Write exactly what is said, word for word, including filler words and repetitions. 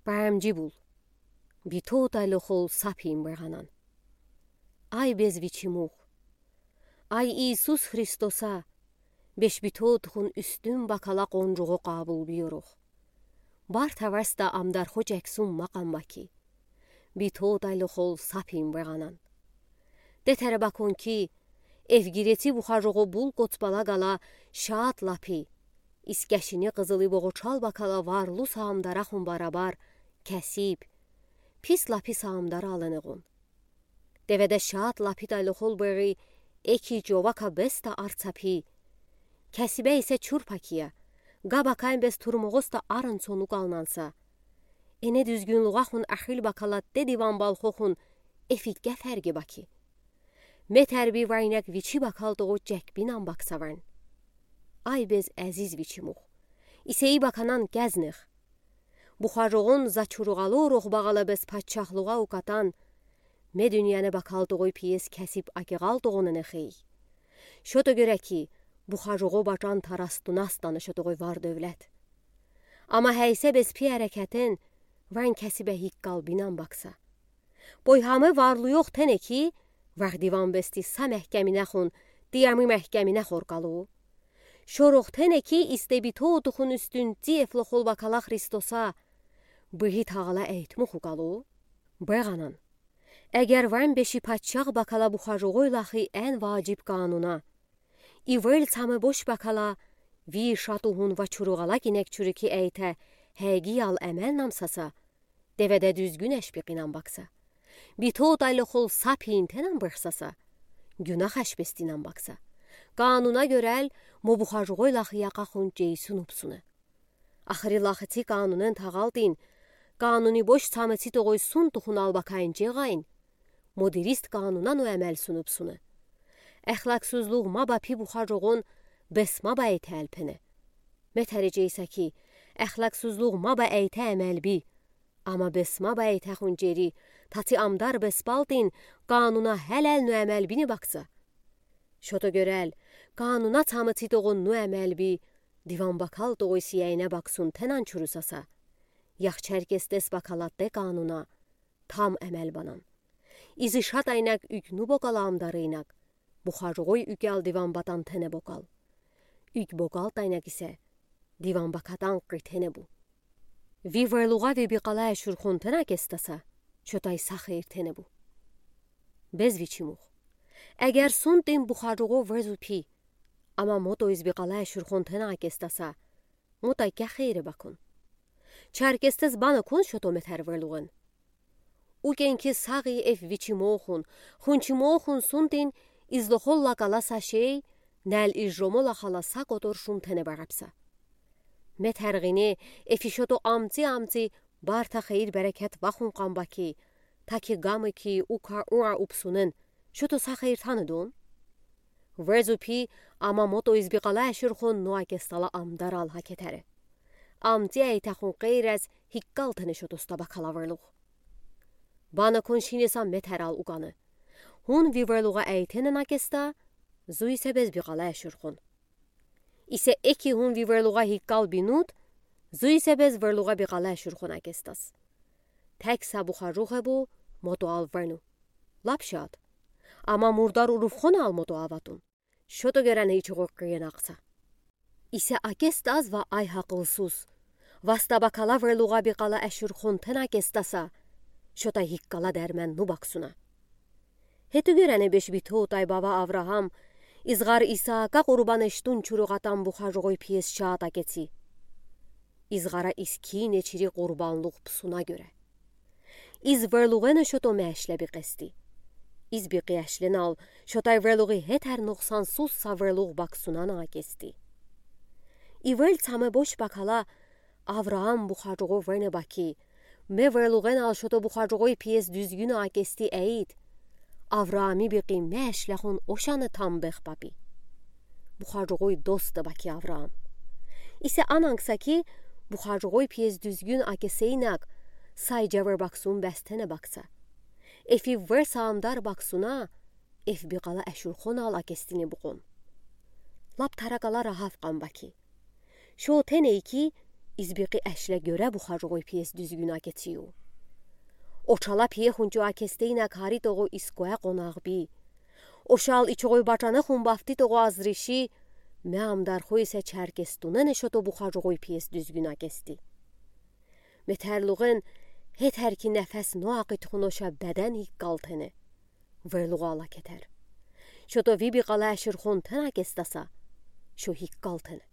Бамжибул. Битотайлы хол сапин быганан. Ай безвичи мух. Ай Иисус Христоса, беш битотхун уьстюн бакала къонжугъу къабул бийорух. Барта варста амдар хочексун макъам баки. Битотайлы хол сапин быганан. Детере бакон ки, эфгиреци бухажугъу бул коцбала гала шат лапи. Искешини къызыли боғучал бакала варлу саамдарахун барабар кесиб. Пис лапи саамдар алынығун. Деведе шат лапитайлы хол бери эки жовака беста арцапи. Кесибе исе чурпакия. Габакайн бес турмоғоста арын сону галнанса. Эне дүзгюнлуғахун ахил бакала дедиван балхохун эфикке ферги баки. Метерби вайнек вичи бакал тоғу жекбинан баксаван. Ай без азиз вичи мух. Исеи баканан кезних. Бухажуғун зачуруғалу рух баала без патшахлуға укатан. Ме дуниене бакал тоғу пиес кесиб акиғал тоғунын эхей. Шото гёре ки, бухажуғу бачан тарастунастаны шотоғу вар девлет. Ама хейсе без пи арекетен вайн кесибе хиккал бинан бакса. Бой хаме варлу йох тене ки, вардиван бести са мехкемине хун, диами мехкемине хоркалу. Шорох тене ки истебитотухун уьстюн ци эфлохол бакала Христоса, быхи тағала эйтмухукалу. Быганан. Эгер вайн беши патшах бакала бухажуғой лахи эн важиб кануна. Ивел цаме бош бакала, ви шатухун вачуруғала кинек чурики эйте, хегиял эмел намсаса, деведе дүзгюн эшпиқинан бакса. Битотайлы хол сапин тенан бырсаса. Гюнах эшпестинан бакса. Кануна гёрел, мо бухажуғой лахи яқахун жейсун упсуны. Ахыри лахи ци канунен тағалтин, кануни бош цаме ци тоғой сун тухун албакайн жеғайн. Мо дирист кануна ну эмел сунупсуны. Эхлаксузлуғ ма ба пи бухажуғун бес ма ба эйте элпене. Метери жейса ки, эхлаксузлуғ ма ба эйте эмел би. Ама бес ма ба эйте хун жери, таци амдар бес балтин, кануна хелел ну эмел бини бакса. Шото гёрел, кануна цаме ци тоғун ну эмел би, диван бакал тоғуй сияйне баксун тенан чурусаса. Ях Черкестес бакала де кануна, там эмел банан. Изи шатайнак уьк ну бокала амдарыйнак, бухажуғой уьк алдиван батан тене бокал. Уьк бокал тайнак исе, диван бакатан қи тене бу. Ви верлуға ви биқала эшурхон тена кестаса, шотай сахир тене бу. Без вичи мух. Эгер сунтин бухажуғо везу пи, ама мото из биқала эшурхон тена кестаса, мотай кяхире бакун. Черкестес бана кун шото метер верлуғын. Укен ки сағи эф вичи мохун, хунчи мохун сунтин излохол лакала са шей, нәл из жомола хала са котор шум тене барапса. Метер ғине эфи шото амци-амци барта хейр берекет вахун қамбаки, таки гамы ки ука уа упсунын, шото са хейр таныдун? Везу пи, ама мото из биқала эшурхон нуа кестала амдар ал хакетере. Амци айтахун қейрез хиккал тене шото стаба кала верлуғ. Бана кун шинеса метер ал уганы. Хун ви верлуға айтене на кеста, зуй се без биқала эшурхон. Исе эки хун ви верлуға хиккал бинут, зуй се без верлуға биқала эшурхон акестас. Тек са бухажуғе бу, мото ал верну. Лап шат. Ама мурдар урувхон ал мото аватун. Шото герен ичуғо қиен ақса. Исе акестас ва ай хақылсуз. Васта бакала верлуға биқала эшурхон тена кестаса. Шота хиккала дермен ну баксуна. Хету герен беш битотай бава Авраам, изғар Исаака қурбан эштун чуруғатан бухажуғой пиес шат акеци. Изғара искине чири қурбанлуғ псуна гере. Из верлуғене шото мешле биқести. Из биқи эшлен ал, шотай верлуғи хетер нуқсансуз са верлуғ баксунана акести. Ивел цаме бош бакала, Авраам бухажуғо верне баки, ме верлуғен ал шото бухажуғой пиес дүзгюн акести эйт. Авраами биқи мешлехун ошаны там бех папи. Бухажуғой доста баки Авраам. Исе ананкса ки, бухажуғой пиес дүзгюн акесейнак, сай жавер баксун бестене бакса. Эфи вер саамдар баксуна, эф биқала эшурхон ал акестине буғон. Лап таракала рахав қамбаки. Шо теней ки, избиқи эшlə görə бухажоғой пиес дүзгюн акециу. Очала пие хунчу акестейнə кари тоғу искоə қонағ би. Ошал ичоғой бачанахун бафти тоғу азриши, мямдар хойсэ чаркестунэн эшото бухажоғой пиес дүзгюн акести. Метәрлуғэн хетәрки нефес ноақит хуноша бәдән хиккалтэнэ. Вэлуғала кетэр. Шото виби қалашыр хонтэн акестаса, шо хиккалтэнэ.